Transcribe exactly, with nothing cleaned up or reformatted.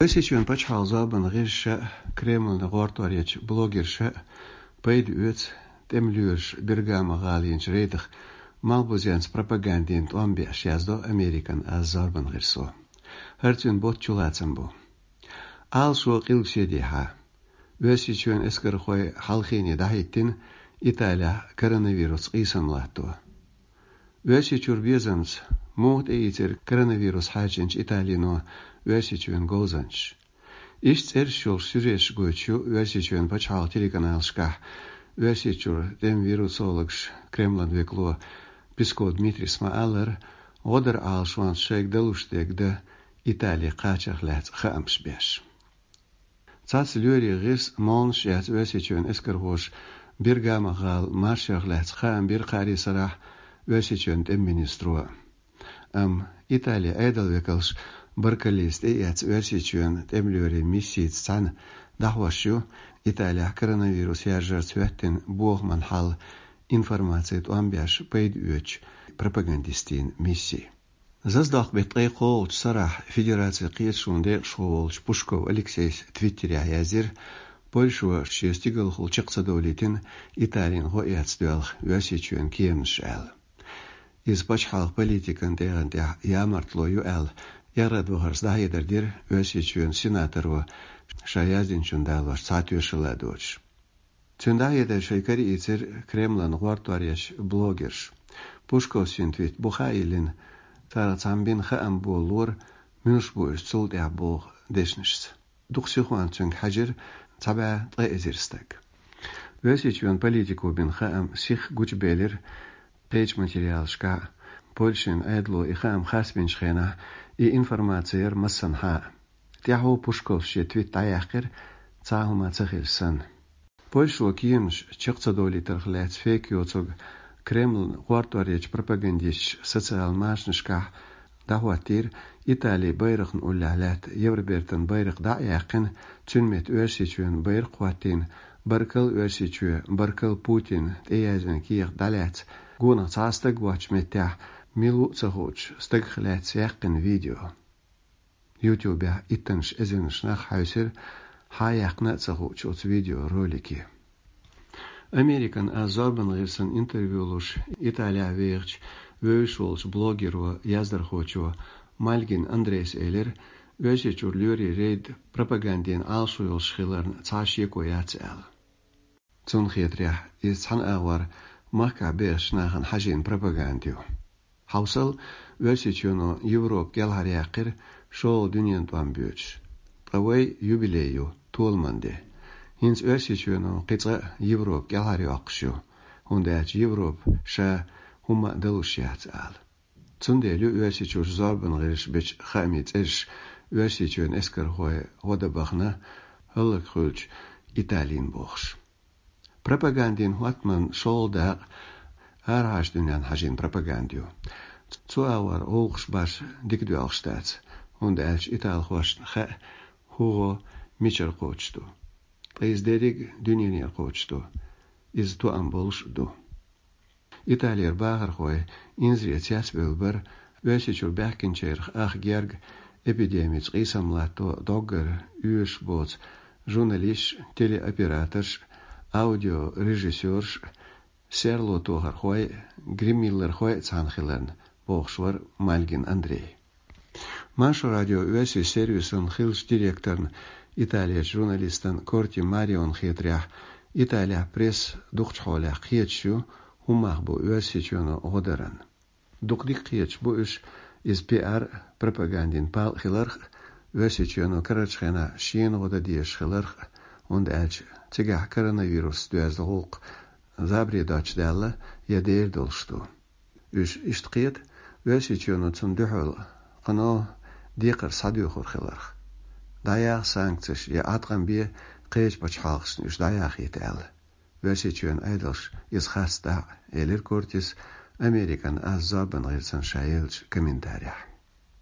Оьрсийчоьнан пачхьалкхан зорбанан гӀирсаша а, Кремлана гӀортор ечу блогерша а пайда оьцу тӀеман лоьраша Бергама гӀала йинчу рейдах малхбузенца пропагандина тӀом беш, яздо Американ аз зорбанан гӀирсо. ХӀара цуьнан ботт чулацам бу. Ӏалашо къилбаседехьа, Оьрсийчоьнан эскархой хьалхене дӀахӀиттина Италехь коронавирусца къийсам латто. Оьрсийчуьра безамца муха тӀеийцира коронавирус хьаьрчинчу Италино Оьрсийчоьнан говзанчаш? Иштта цӀераш йолуш сюжеташ гойтуш ю Оьрсийчоьнан пачхьалкхан телеканалашкахь Оьрсийчуьра тӀеман вирусологаш. Кремлан векало Песков Дмитрийс ма-аллара, гӀо дара Ӏалашонца шайга далуш дерг дан Итали кхачарх лаьцна хаамаш беш. Цхьацца лоьрийн гӀирс молланаш а яц Оьрсийчоьнан эскархоша Бергама гӀала маршех лаьцна хаам бира кхаарин сарахь Оьрсийчоьнан тӀеман министро. Амма Италин Ӏедалан векалша баркаллица тӀеэцна Оьрсийчоьнан тӀеман лоьрийн миссица цхьаьна дӀахьош ю Италехь коронавирус яржарца хӀоьттина бохаман хьал информацин тӀом беш пайда оьцучу пропагандистийн мисси. Заздоккху беттан ткъе кхоалгӀачу сарахь Федерацин кхеташонан декъашхо волчу Пушков Алексейс Твиттерехь яздира, Польшо шен стигалхула чекх ца довлийтина Италина гӀо эцна доьлху Оьрсийчоьнан кеманаш аьлла. Иза пачхьалкхан политикан тӀегӀан тӀехь ямартло ю аьлла, эгӀрад вахарца дӀахьедар дира Оьрсийчоьнан сенаторо ша яздинчунна далош цхьа тоьшалла доцуш. Цуьнан дӀахьедар шайн караийцира Кремлана гӀортор ечу блогерша. Пушковс йина твит бухахь а йиллина, царах цхьамма бина хаам болалора, муьлш бу уьш цул тӀаьхьа боху дешнашца. Дукха сихонца цуьнга хьаьжира цхьа бӀе ткъе эзар стаг. Оьрсийчоьнан политико бина хаам сихха гучубелира кхечу материалашкахь а, Польшин Ӏедало и хаам харцбинчу хенахь и информаци яра массанхьа а. ТӀаьхьо Пушковс шен твит дӀаяьккхира, цхьа а хӀума ца хилча санна. Польшо кеманаш чекх ца довлийтарх лаьцна фейк йоцург Кремлана гӀортор ечу пропагандисташа социал машанашкахь дӀахӀоттийра, Италин байракхна уллехь лаьтта Евробертан байракх дӀа а яьккхина, цуьнан метта Оьрсийчоьнан байракх а хӀоттийна, «Баркалла, Оьрсийчоь, баркалла, Путин» тӀеяздина кехат дӀалаьцна, гонах цхьа а стаг воцчу меттехь, мила ву а ца хуучу стагах лаьцна яьккхина видео. Ютубехь иттаннаш эзарнаш нах хьаьвсира, хьан яьккхина а ца хуучу оцу видеоролике. Американ аз зорбанан гӀирсан интервью луш Италехь вехачу вевзаш волчу блогеро, яздархочо Мальгин Андрейс элира, Оьрсийчуьра лоьрийн рейд пропагандина Ӏалашо йолуш хиларна цхьа а шеко яц аьлла. Цунна хетарехь, иза цхьана агӀор махкахь бехачу нахана хьажийна пропаганда ю. Хьовсал, Оьрсийчоьно Европа кӀелхьаръяьккхира, шолгӀа дуьненан тӀом боьдуш. Ткъа вайн юбилей ю, толаман де. ХӀинца Оьрсийчоьно кхин цкъа а Европа кӀелхьарйоккхуш ю, хӀунда аьлча Европа ша хӀумма а далуш яц ала. Цундела ю Оьрсийчуьра зорбанан гӀирсаша бечу хаамийн цӀераш Оьрсийчоьнан эскархой гӀо дан бахана, хӀаллакьхуьлучу Италина бохуш. Пропагандин хӀоттаман шолгӀа дакъа арахьарчу дуьненна хьажийна пропаганда ю. Цу агӀор гӀуллакхаш башха дика доьлхуш дац, хӀунда аьлча италхошна хаьа, хӀун гӀо мичара кхочуш ду. Ткъа иза дерриг а дуьненера кхочуш ду. Иза тоам болуш а ду. Италера бахархой инзаре цецбевлла бара, Оьрсийчуьра баьхкинчарах ах герга, эпидемица къийсам латто доггара оьшуш боцу журналисташ, телеоператорш, аудиорежиссёрш, серло тохархой, гриммиллерхой а цхьаьна хиларна, бохуш вара Мальгин Андрей. Маршо радион оьрсийн сервисан хиллачу директорна, Италерчу журналистана Корти Мариона хетарехь, Италехь пресса дукхачу хьолехь кхеташ ю, хӀун мах бу Оьрсийчоьно гӀо даран. Дукха дика кхеташ бу уьш, иза пиар а, пропагандин пал а хиларх а, Оьрсийчоьно карарчу хенахь шена гӀо дан дезаш хиларх а, хӀунда аьлча цигахь коронавирусца доьзна гӀуллакх забаре доцчу даьлла я дер долуш ду. Уьш иштта кхета, Оьрсийчоьно цунна дуьхьал кхано декхар схьадоьхур хиларх. ДӀаяха санкцеш я Ӏаткъам бе кхечу пачхьалкхашна уьш дӀаяхийта аьлла. Оьрсийчоьнан Ӏедалша иза харцдахь а, элира Кортис Американ аз зорбанан гӀирсана ша еллачу комментарехь.